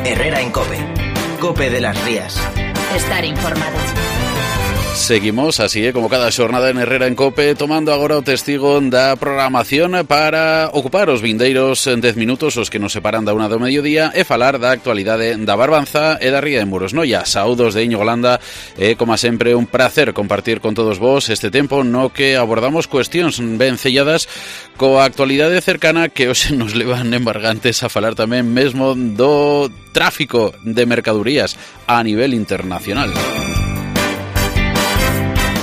Herrera en COPE. COPE de las Rías. Estar informado. Seguimos así, como cada xornada en Herrera en COPE, tomando agora o testigo da programación para ocupar os vindeiros 10 minutos os que nos separan da 1 do mediodía e falar da actualidade da Barbanza e da Ría de Muros. Noia, saúdos de Íñigo Landa e, como sempre, un prazer compartir con todos vos este tempo no que abordamos cuestións ben celladas coa actualidade cercana que hoxe nos levan embargantes a falar tamén mesmo do tráfico de mercadorías a nivel internacional.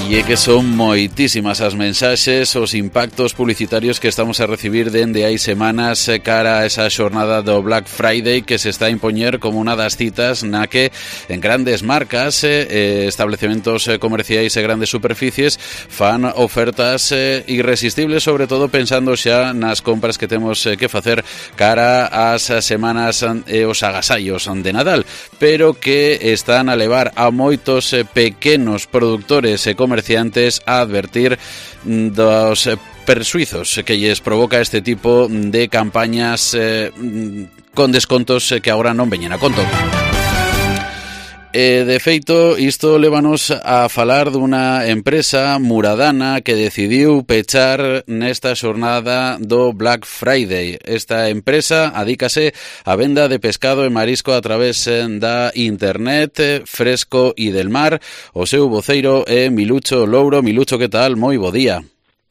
E é que son moitísimas as mensaxes, os impactos publicitarios que estamos a recibir dende hai semanas cara a esa xornada do Black Friday que se está a impoñer como unha das citas na que en grandes marcas, establecementos comerciais e grandes superficies fan ofertas irresistibles, sobre todo pensando xa nas compras que temos que facer cara ás semanas e os agasallos de Nadal, pero que están a levar a moitos pequenos produtores e comerciantes a advertir dos persuizos que lles provoca este tipo de campañas con descontos que agora non veñen a conto. De feito, isto lévanos a falar dunha empresa muradana que decidiu pechar nesta xornada do Black Friday. Esta empresa adícase á venda de pescado e marisco a través da internet, Fresco e del Mar. O seu voceiro é Milucho Louro. Milucho, que tal? Moi bo día.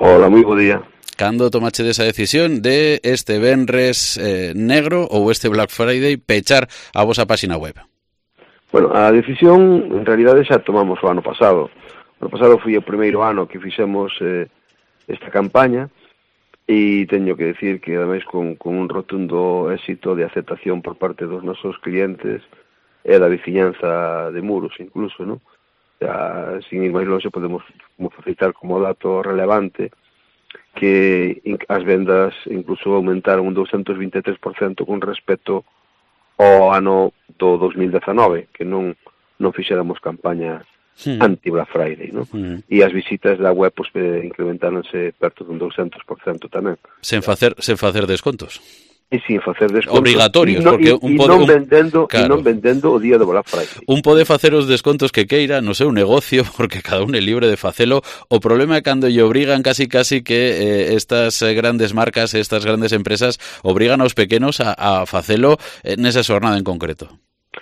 Hola, moi bo día. Cando tomache desa decisión de este venres negro ou este Black Friday pechar a vosa páxina web? Bueno, a decisión, en realidade, xa tomamos o ano pasado. O ano pasado foi o primeiro ano que fixemos esta campaña e teño que decir que, ademais, con un rotundo éxito de aceptación por parte dos nosos clientes e da veciñanza de Muros, incluso, non? Ya, sin ir máis longe, podemos facilitar como dato relevante que as vendas incluso aumentaron un 223% con respecto ao ano do 2019, que non fixéramos campaña anti-Black Friday, non? E as visitas da web pues, incrementáronse perto dun 200% tamén. Sen facer descontos? E sin facer descontos. Obrigatorios, porque non vendendo o día do Black Friday. Un pode facer os descontos que queira no seu negocio, porque cada un é libre de facelo. O problema é cando lle obrigan casi que estas grandes marcas, estas grandes empresas, obrigan aos pequenos a facelo nesa xornada en concreto.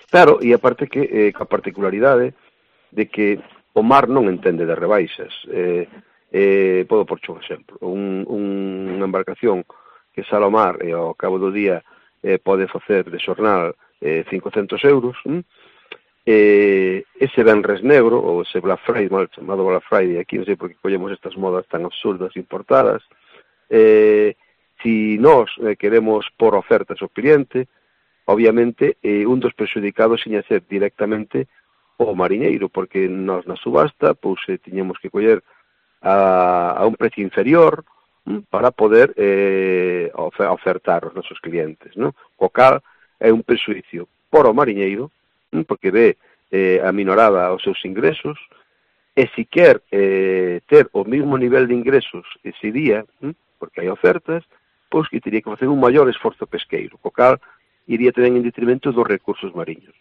Claro, e aparte que a particularidade de que o mar non entende de rebaixas. Podo porcho un exemplo. Unha embarcación que sale ao mar e ao cabo do día pode facer de xornal 500 euros, ese venres negro, ou ese Black Friday, mal chamado Black Friday, aquí non sei por que collemos estas modas tan absurdas importadas, si nós queremos por ofertas ao cliente, obviamente un dos perxudicados seña ser directamente o mariñeiro, porque nós na subasta pois tiñemos que coller a un precio inferior para poder ofertar aos nosos clientes, non? Co cal é un perxuicio por o mariñeiro, porque ve aminorada os seus ingresos, e si quer ter o mesmo nivel de ingresos ese día, porque hai ofertas, pois que teria que facer un maior esforzo pesqueiro, co cal iría tamén en detrimento dos recursos mariños.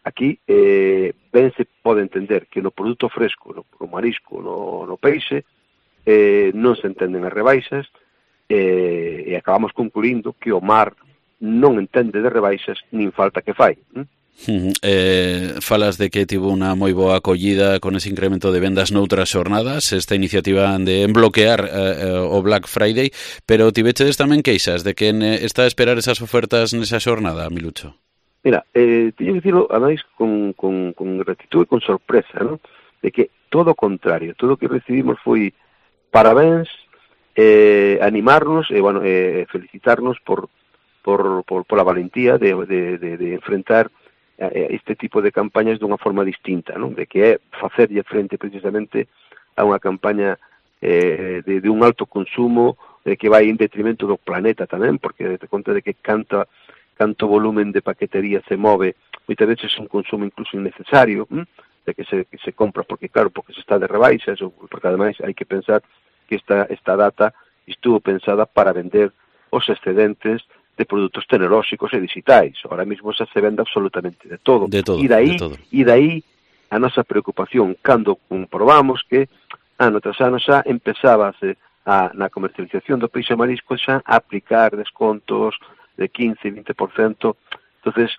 Aquí ben se pode entender que no produto fresco, no marisco, no peixe, non se entenden as rebaixas e acabamos concluindo que o mar non entende de rebaixas nin falta que fai. Falas de que tivo unha moi boa acollida con ese incremento de vendas noutras xornadas, esta iniciativa de bloquear o Black Friday, pero tivechedes tamén queixas de que está a esperar esas ofertas nesa xornada, Milucho? Mira, teño que dicirlo, ademais, con gratitud e con sorpresa, ¿no? De que todo o contrario, todo o que recibimos foi parabéns, animarnos e felicitarnos por la valentía de enfrentar este tipo de campañas dunha forma distinta, non? De que é facerlle frente precisamente a unha campaña de un alto consumo que vai en detrimento do planeta tamén, porque te conta de que canto volumen de paquetería se move, moitas veces un consumo incluso innecesario, de que se compra porque se está de rebaixas, ou porque ademais hai que pensar que esta data estuvo pensada para vender os excedentes de produtos tecnolóxicos e digitais. Ahora mismo xa se vende absolutamente de todo. E dai a nosa preocupación cando comprobamos que ano tras ano xa empezábase na comercialización do peixe marisco xa a aplicar descontos de 15-20%. Entonces,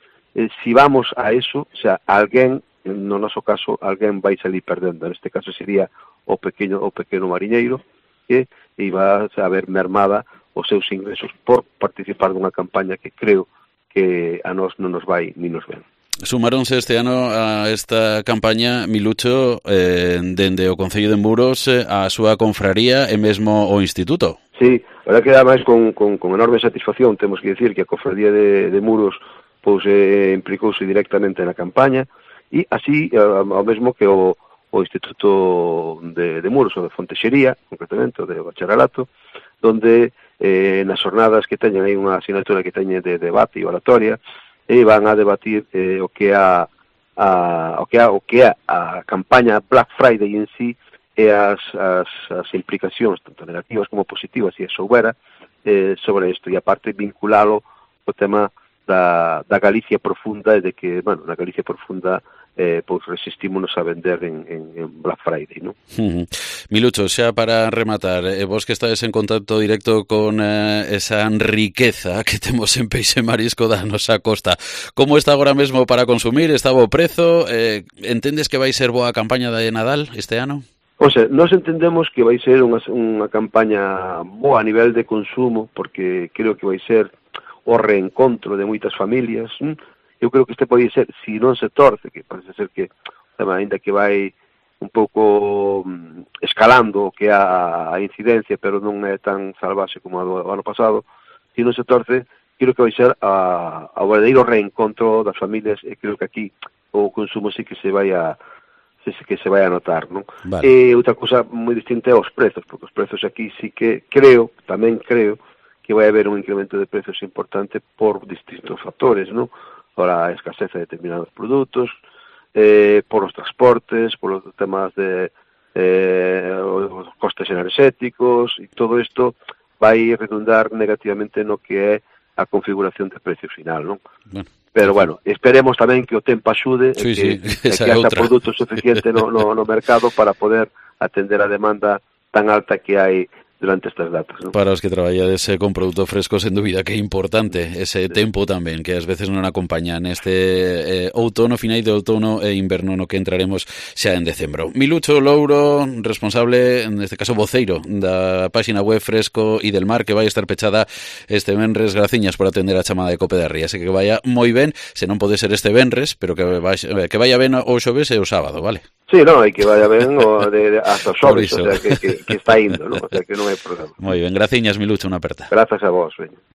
si vamos a eso, xa alguén, no noso caso, alguén vai salir perdendo. Neste caso sería o pequeno mariñeiro que iba a ver mermada os seus ingresos por participar dunha campaña que creo que a nós non nos vai ni nos ven. Sumáronse este ano a esta campaña, Milucho, dende o Concello de Muros a súa confraría e mesmo o Instituto. Sí, a verdad que ademais con enorme satisfacción temos que dicir que a Cofradía de Muros pois implicouse directamente na campaña e así ao mesmo que o Instituto de Muros, o de Fontexería, concretamente, o de Bacharelato, donde nas jornadas que teñen hai unha asignatura que teñen de debate e oratoria e van a debatir o que é a campaña Black Friday en sí e as implicacións tanto negativas como positivas, se soubera, sobre isto, e aparte vinculalo o tema da Galicia profunda e de que, bueno, na Galicia profunda pois resistímonos a vender en Black Friday, non? Milucho, xa para rematar, vos que estades en contacto directo con esa riqueza que temos en peixe marisco da nosa costa, como está agora mesmo para consumir? Está bo prezo? Entendes que vai ser boa a campaña de Nadal este ano? O sea, nós entendemos que vai ser unha campaña boa a nivel de consumo, porque creo que vai ser o reencontro de moitas familias. Eu creo que este pode ser, se non se torce, que parece ser que, ainda que vai un pouco escalando o que é a incidencia, pero non é tan salvaxe como o ano pasado, se non se torce, creo que vai ser o verdadeiro reencontro das familias, e creo que aquí o consumo sí que se vai a notar, non? Vale. E outra cousa moi distinta é os prezos, porque os prezos aquí sí que tamén creo que vai haber un incremento de precios importante por distintos factores, non? Por a escasez de determinados produtos, por os transportes, por os temas de os costes enerxéticos, e todo isto vai redundar negativamente no que é a configuración de precio final, non? Bueno. Pero, bueno, esperemos tamén que o tempo axude sí, que esa haxa produto suficiente no mercado para poder atender a demanda tan alta que hai durante estas datas, ¿no? Para os que traballades con produto fresco, sen dúbida que é importante ese tempo tamén, que ás veces non acompaña neste outono, final de outono e inverno no que entraremos xa en decembro. Milucho Louro, responsable, neste caso voceiro, da páxina web Fresco e del Mar, que vai estar pechada este venres. Graciñas por atender a chamada de Cope da Ría. Que vaya moi ben, se non pode ser este venres, pero que vaya ben o xoves e o sábado, vale? Sí, no, hai que vaya ben hasta o xoves, o sea, que está indo, ¿no? O sea, que non hai problema. Moi ben, graciñas, Milucho, unha aperta. Grazas a vos, veña.